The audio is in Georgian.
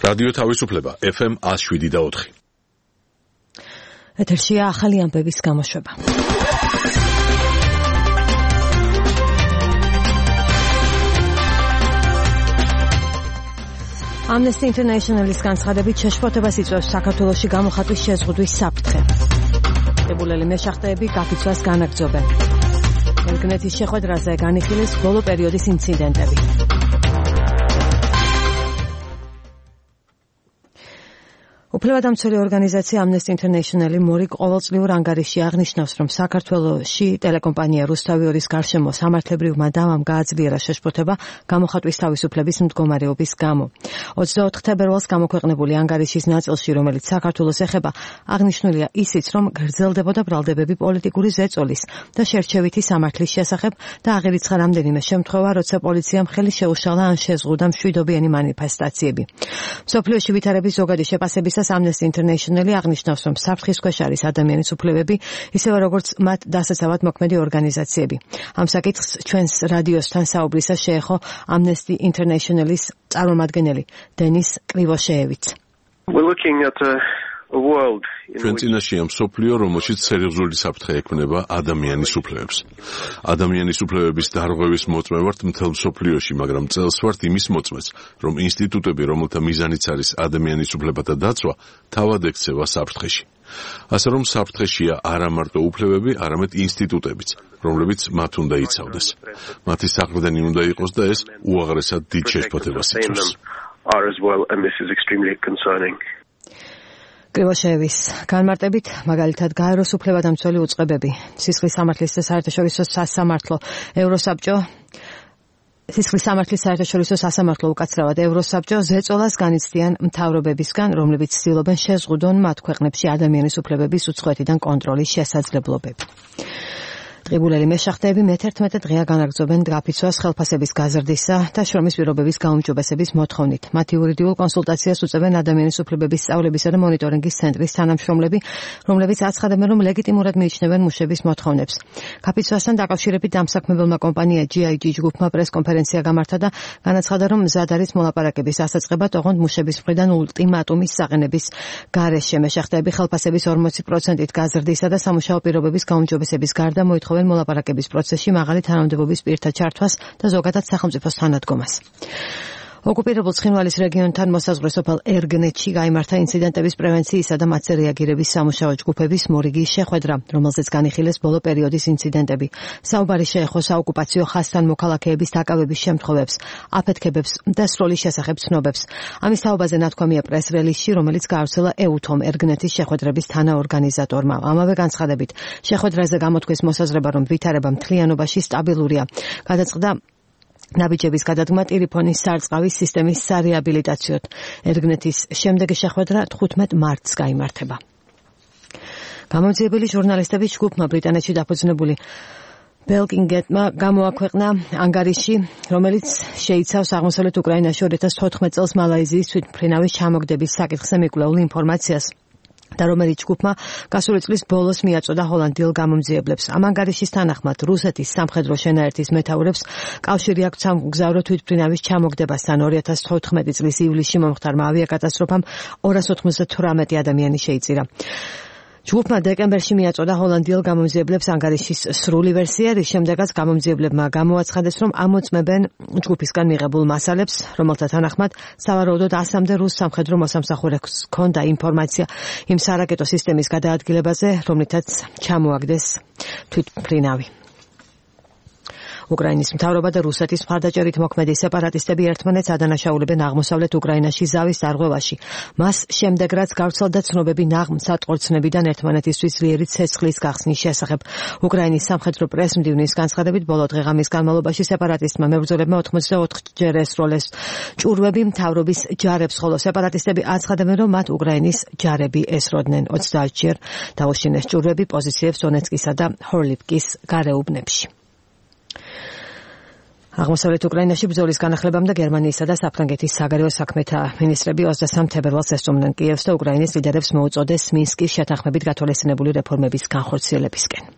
რადიო თავისუფლება FM 107.4. ეთერშია ახალი ამბების გამოშვება. Amnesty International-ის განცხადებით შეშფოთებას იწვევს საქართველოში გამოხატვის შეზღუდვის საფრთხე. დებულელი მეშახტეები გაფიცვას განაგრძობენ. ელგნეთის შეხვედრაზე განიხილეს ბოლო პერიოდის ინციდენტები. უფლებადამცველი ორგანიზაცია Amnesty International მორიგ ყოველწლიურ ანგარიშში აღნიშნავს, რომ საქართველოში ტელეკომპანია რუსთავი-2-ის გარშემო სამართლებრივმა დამამ გააძლიერა შეშფოთება გამოხატვის თავისუფლების მდგომარეობის გამო. 24 თებერვალს გამოქვეყნებული ანგარიშის ნაწილში, რომელიც საქართველოს ეხება, აღნიშნულია ისიც, რომ გრძელდებოდა ბრალდებები პოლიტიკური ზეწოლის და შერჩევითი სამართლის შესახებ და აღირიცხა რამდენიმე შემთხვევა, როცა პოლიციამ ხელი შეუშალა ან შეზღუდა მშვიდობიანი მანიფესტაციები. მსოფლიოში ვითარების ზოგადი შეფასებისას Amnesty International აღნიშნავს, რომ საფრთხის ქვეშ არის ადამიანის უფლებები, ისევე როგორც მათ დასაცავად მოქმედი ორგანიზაციები. ამ საკითხს ჩვენს რადიოსთან საუბრისას შეეხო Amnesty International-ის წარმომადგენელი დენის კრივოშეევიც. ჩვენ წინაშეა მსოფლიო, რომელშიც სერიოზული საფრთხე ექმნება ადამიანის უფლებებს. ადამიანის უფლებების დარღვევის მოწმე ვართ მთელ მსოფლიოში, მაგრამ წელს ვართ იმის მოწმეც, რომ ინსტიტუტები, რომელთა მიზანიც არის ადამიანის უფლებათა დაცვა, თავად ექცევა საფრთხეში. ასე რომ საფრთხეშია არა მარტო უფლებები, არამედ ინსტიტუტებიც, რომლებიც მათ უნდა იცავდეს. მათი საყრდენი უნდა იყოს და ეს უაღრესად დიდ შეშფოთებას იწვევს. კრივოშეევის განმარტებით, მაგალითად, გაეროს უფლებადამცველი უწყებები, სისხლის სამართლის და საერთაშორისო სასამართლო, ევროსაბჭო, სისხლის სამართლის საერთაშორისო სასამართლო უკაცრავად ევროსაბჭო ზეწოლას განიცდიან მთავრობებისგან, რომლებიც ცდილობენ შეზღუდონ მათ ქვეყნებში ადამიანის უფლებების უწყვეტიდან კონტროლის შესაძლებლობები. დღიბულელი მეშახტეები მე-11 დღეა განაგრძობენ გაფიცვას ხელფასების გაზრდისა და შრომის პირობების გაუმჯობესების მოთხოვნით. მათ იურიდიულ კონსულტაციას უწევენ ადამიანის უფლებების სწავლებისა და მონიტორინგის ცენტრის თანამშრომლები, რომლებიც აცხადებენ, რომ ლეგიტიმურად მიიჩნევენ მუშების მოთხოვნებს. გაფიცვასთან დაკავშირებით დამსაქმებელმა კომპანია GIG ჯგუფმა პრესკონფერენცია გამართა და განაცხადა, რომ მზად არის მოლაპარაკების დასაწყებად, ოღონდ მუშების მხრიდან ულტიმატუმის საყენების გარეშე. მეშახტეები ხელფასების 40%-ით გაზრდისა და სამუშაო პირობების გაუმჯობესების გარდა მოითხოვენ მოლაპარაკების პროცესში მაღალი თანამდებობის პირთა ჩართვას და ზოგადად სახელმწიფოს თანადგომას. ოკუპირებულ ცხინვალის რეგიონთან მოსაზღვრე სოფელ ერგნეთში გაიმართა ინციდენტების პრევენციისა და მათზე რეაგირების სამუშაო ჯგუფების მორიგი შეხვედრა, რომელზეც განიხილეს ბოლო პერიოდის ინციდენტები. საუბარი შეეხო საოკუპაციო ხაზთან მოქალაქეების დაკავების შემთხვევებს, აფეთქებებს და სროლის შესახებ ცნობებს. ამის თაობაზე ნათქვამია პრეს-რელიზში, რომელიც გაავრცელა EUTOM ერგნეთის შეხვედრების თანაორგანიზატორმა. ამავე განცხადებით, შეხვედრაზე გამოთქვეს მოსაზრება, რომ ვითარება მთლიანობაში სტაბილურია. გადაწყდა ნაბიჯების გადადგმა ტელეფონის სარწყავის სისტემის სარეაბილიტაციოდ. ერგნეთის შემდეგი შეხვედრა 15 მარტს გაიმართება. გამოძიებელი ჟურნალისტების ჯგუფმა ბრიტანეთში დაფუძნებული ბელკინგეტმა გამოაქვეყნა ანგარიში, რომელიც შეიცავს აღმოსავლეთ უკრაინაში 2014 წელს მალაიზიის თვითმფრინავის ჩამოგდების საკითხზე მიკვლეულ ინფორმაციას და რომელიც ჯგუფმა გასული წლის ბოლოს მიაწოდა ჰოლანდიელ გამომძიებლებს. ამ ანგარიშის თანახმად რუსეთის სამხედრო შენაერთის მეთაურებს კავშირი აქვს ამ მგზავრო თვითმფრინავის ჩამოგდებასთან. 2014 წლის ივლისში მომხდარმა ავიაკატასტროფამ 298 ადამიანი შეიწირა. ჯგუფმა დეკემბერში მიაწოდა ჰოლანდიელ გამომძიებლებს ანგარიშის სრული ვერსია, რის შემდეგაც გამომძიებლებმა გამოაცხადეს, რომ ამოწმებენ ჯგუფისგან მიღებულ მასალებს, რომელთა თანახმად სავარაუდოდ 100-მდე რუს სამხედრო მოსამსახურეს ჰქონდა ინფორმაცია იმ სარაკეტო სისტემის გადაადგილებაზე, რომლითაც ჩამოაგდეს თვითმფრინავი. უკრაინის მთავრობა და რუსეთის მხარდაჭერით მოქმედი სეპარატისტები ერთმანეთს ადანაშაულებენ აღმოსავლეთ უკრაინაში ზავის დარღვევაში. მას შემდეგ რაც გავრცელდა ცნობები ნაღმსატყორცნებიდან ერთმანეთისთვის ძლიერი ცეცხლის გახსნის შესახებ. უკრაინის სამხედრო პრეს-მდივნის განცხადებით, ბოლო დღე-ღამის განმავლობაში სეპარატისტმა მებრძოლებმა 84-ჯერ ესროლეს ჭურვები მთავრობის ჯარებს, ხოლო სეპარატისტები აცხადებენ, რომ მათ უკრაინის ჯარები ესროდნენ. 30-ჯერ დაუშინეს ჭურვები პოზიციებს დონეცკისა და ჰორლივკის გარეუბნებში. აღმოსავლეთ უკრაინაში ბრძოლის განახლებამ და გერმანიისა და საფრანგეთის საგარეო საქმეთა მინისტრები 23 თებერვალს ესწრებდნენ კიევს და უკრაინის ლიდერებს მოუწოდეს მინსკის შეთანხმებით გათვალისწინებული რეფორმების განხორციელებისკენ.